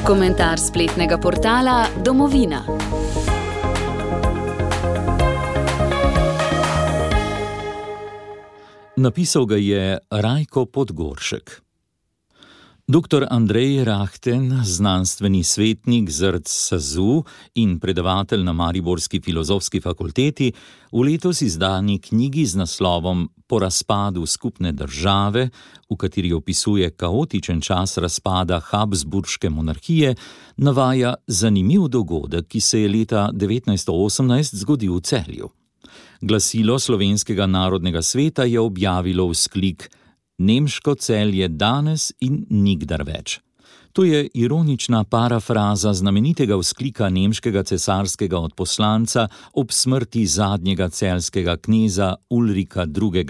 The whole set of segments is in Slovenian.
Komentar spletnega portala Domovina. Napisal ga je Rajko Podgoršek. Dr. Andrej Rahten, znanstveni svetnik ZRC SAZU in predavatelj na mariborski filozofski fakulteti, v letos izdani knjigi z naslovom Po razpadu skupne države, v kateri opisuje kaotičen čas razpada Habsburške monarhije, navaja zanimiv dogodek, ki se je leta 1918 zgodil v Celju. Glasilo Slovenskega narodnega sveta je objavilo vzklik Nemško Celje danes in nikdar več. To je ironična parafraza znamenitega vzklika nemškega cesarskega odposlanca ob smrti zadnjega celjskega kneza Ulrika II.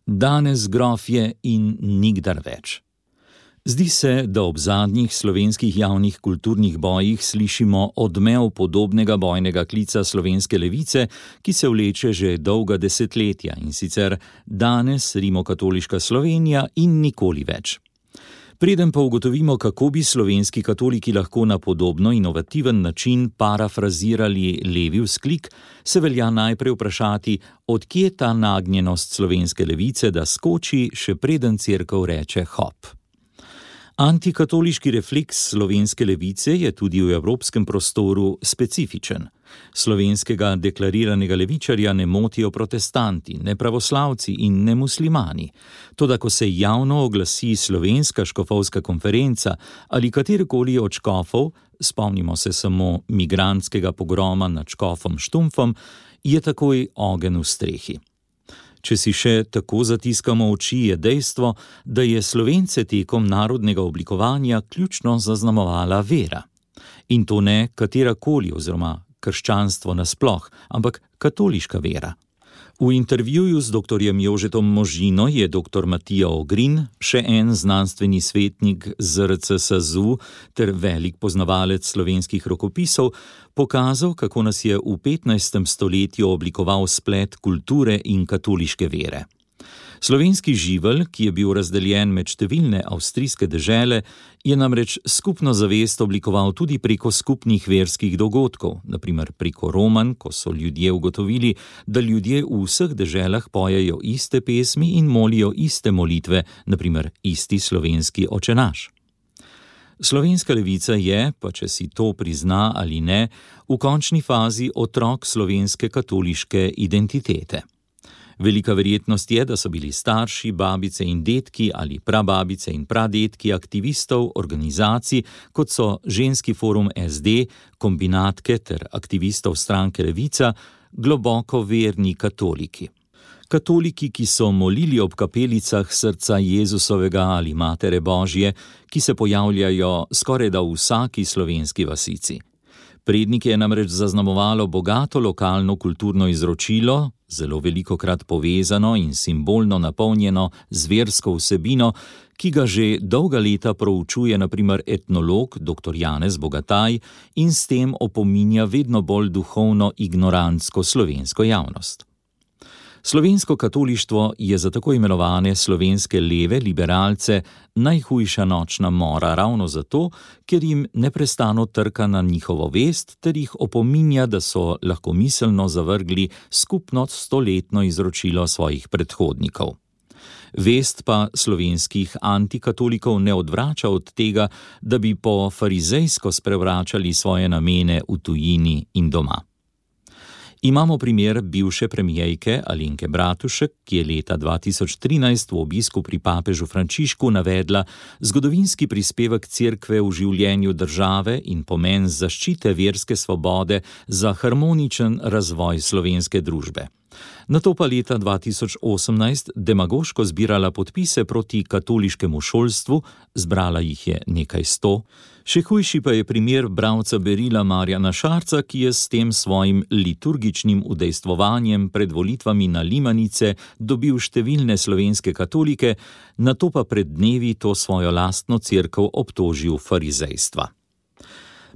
Danes grofje in nikdar več. Zdi se, da ob zadnjih slovenskih javnih kulturnih bojih slišimo odmev podobnega bojnega klica slovenske levice, ki se vleče že dolga desetletja, in sicer danes rimokatoliška Slovenija in nikoli več. Preden pa ugotovimo, kako bi slovenski katoliki lahko na podobno inovativen način parafrazirali levi vzklik, se velja najprej vprašati, od kje ta nagnjenost slovenske levice, da skoči, še preden cerkev reče hop. Antikatoliški refleks slovenske levice je tudi v evropskem prostoru specifičen. Slovenskega deklariranega levičarja ne motijo protestanti, ne pravoslavci in ne muslimani. Toda ko se javno oglasi slovenska škofovska konferenca ali katerikoli od škofov, spomnimo se samo migrantskega pogroma nad škofom Štumpfom, je takoj ogenj v strehi. Če si še tako zatiskamo oči, je dejstvo, da je Slovence tekom narodnega oblikovanja ključno zaznamovala vera. In to ne katerakoli oziroma krščanstvo nasploh, ampak katoliška vera. V intervjuju z dr. Jožetom Možino je dr. Matija Ogrin, še en znanstveni svetnik ZRC SAZU ter velik poznavalec slovenskih rokopisov, pokazal, kako nas je v 15. stoletju oblikoval splet kulture in katoliške vere. Slovenski živelj, ki je bil razdeljen med številne avstrijske dežele, je namreč skupno zavest oblikoval tudi preko skupnih verskih dogodkov, naprimer preko romanj, ko so ljudje ugotovili, da ljudje v vseh deželah pojejo iste pesmi in molijo iste molitve, naprimer isti slovenski očenaš. Slovenska levica je, pa če si to prizna ali ne, v končni fazi otrok slovenske katoliške identitete. Velika verjetnost je, da so bili starši, babice in dedki ali prababice in pradedki aktivistov, organizacij, kot so Ženski forum SD, kombinatke ter aktivistov stranke Levica, globoko verni katoliki. Katoliki, ki so molili ob kapelicah srca Jezusovega ali Matere Božje, ki se pojavljajo skorajda v vsaki slovenski vasici. Prednike je namreč zaznamovalo bogato lokalno kulturno izročilo, zelo velikokrat povezano in simbolno napolnjeno z versko vsebino, ki ga že dolga leta proučuje na primer etnolog dr. Janez Bogataj in s tem opominja vedno bolj duhovno ignorantsko slovensko javnost. Slovensko katolištvo je za tako imenovane slovenske leve liberalce najhujša nočna mora ravno zato, ker jim neprestano trka na njihovo vest ter jih opominja, da so lahkomiselno zavrgli skupno stoletno izročilo svojih predhodnikov. Vest pa slovenskih antikatolikov ne odvrača od tega, da bi po farizejsko sprevračali svoje namene v tujini in doma. Imamo primer bivše premijejke Alenke Bratušek, ki je leta 2013 v obisku pri papežu Frančišku navedla zgodovinski prispevek cerkve v življenju države in pomen zaščite verske svobode za harmoničen razvoj slovenske družbe. Nato pa leta 2018 demagoško zbirala podpise proti katoliškemu šolstvu, zbrala jih je nekaj 100. Še hujši pa je primer bralca berila Marjana Šarca, ki je s tem svojim liturgičnim udejstvovanjem pred volitvami na Limanice dobil številne slovenske katolike, nato pa pred dnevi to svojo lastno cerkev obtožil farizejstva.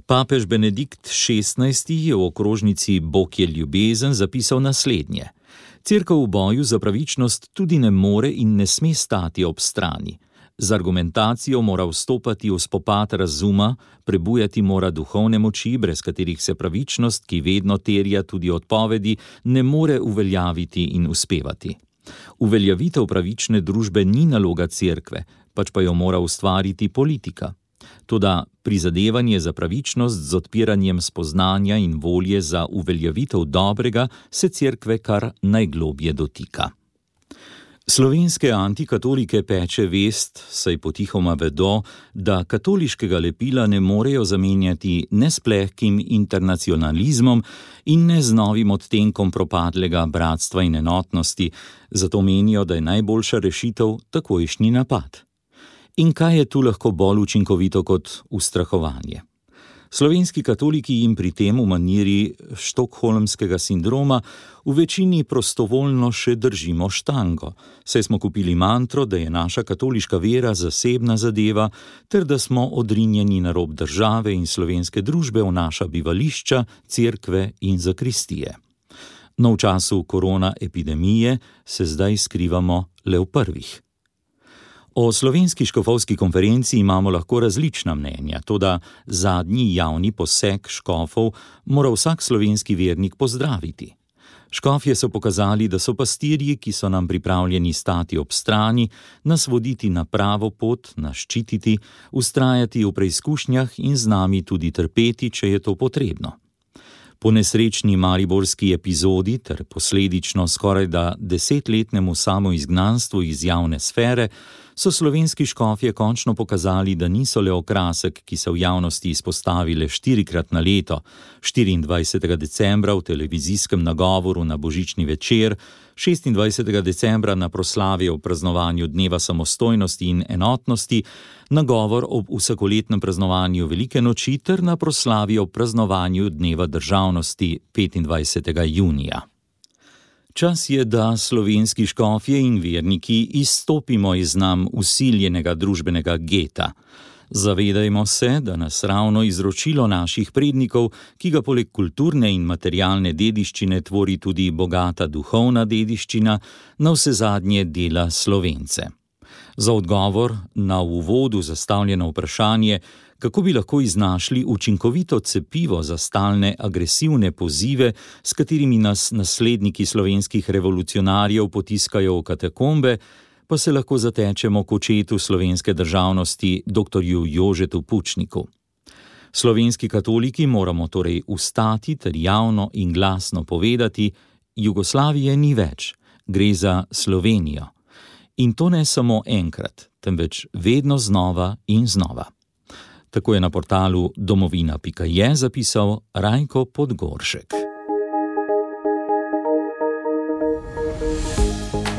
Papež Benedikt XVI. Je v okrožnici Bog je ljubezen zapisal naslednje. Cerkev v boju za pravičnost tudi ne more in ne sme stati ob strani. Z argumentacijo mora vstopati v spopad razuma, prebujati mora duhovne moči, brez katerih se pravičnost, ki vedno terja tudi odpovedi, ne more uveljaviti in uspevati. Uveljavitev pravične družbe ni naloga cerkve, pač pa jo mora ustvariti politika. Toda prizadevanje za pravičnost z odpiranjem spoznanja in volje za uveljavitev dobrega se cerkve kar najglobje dotika. Slovenske antikatolike peče vest, saj potihoma vedo, da katoliškega lepila ne morejo zamenjati ne s plehkim internacionalizmom in ne z novim odtenkom propadlega bratstva in enotnosti, zato menijo, da je najboljša rešitev takojšnji napad. In kaj je tu lahko bolj učinkovito kot ustrahovanje? Slovenski katoliki jim pri tem v maniri štokholmskega sindroma v večini prostovoljno še držimo štango, saj smo kupili mantro, da je naša katoliška vera zasebna zadeva, ter da smo odrinjeni na rob države in slovenske družbe v naša bivališča, cerkve in zakristije. No, v času korona epidemije se zdaj skrivamo le v prvih. O slovenski škofovski konferenci imamo lahko različna mnenja, toda zadnji javni poseg škofov mora vsak slovenski vernik pozdraviti. Škofje so pokazali, da so pastirji, ki so nam pripravljeni stati ob strani, nas voditi na pravo pot, nas ščititi, vztrajati v preizkušnjah in z nami tudi trpeti, če je to potrebno. Po nesrečni mariborski epizodi ter posledično skorajda 10-letnemu samoizgnanstvu iz javne sfere so slovenski škofje končno pokazali, da niso le okrasek, ki se v javnosti izpostavile 4-krat na leto, 24. decembra v televizijskem nagovoru na božični večer, 26. decembra na proslavi ob praznovanju Dneva samostojnosti in enotnosti, nagovor ob vsakoletnem praznovanju Velike noči ter na proslavi ob praznovanju Dneva državnosti 25. junija. Čas je, da slovenski škofje in verniki izstopimo iz nam vsiljenega družbenega geta. Zavedajmo se, da nas ravno izročilo naših prednikov, ki ga poleg kulturne in materialne dediščine tvori tudi bogata duhovna dediščina, navsezadnje dela Slovence. Za odgovor na v uvodu zastavljeno vprašanje, kako bi lahko iznašli učinkovito cepivo za stalne agresivne pozive, s katerimi nas nasledniki slovenskih revolucionarjev potiskajo v katakombe, pa se lahko zatečemo k očetu slovenske državnosti, doktorju Jožetu Pučniku. Slovenski katoliki moramo torej vstati ter javno in glasno povedati, Jugoslavije ni več, gre za Slovenijo. In to ne samo enkrat, temveč vedno znova in znova. Tako je na portalu domovina.je zapisal Rajko Podgoršek.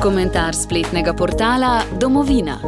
Komentar spletnega portala Domovina.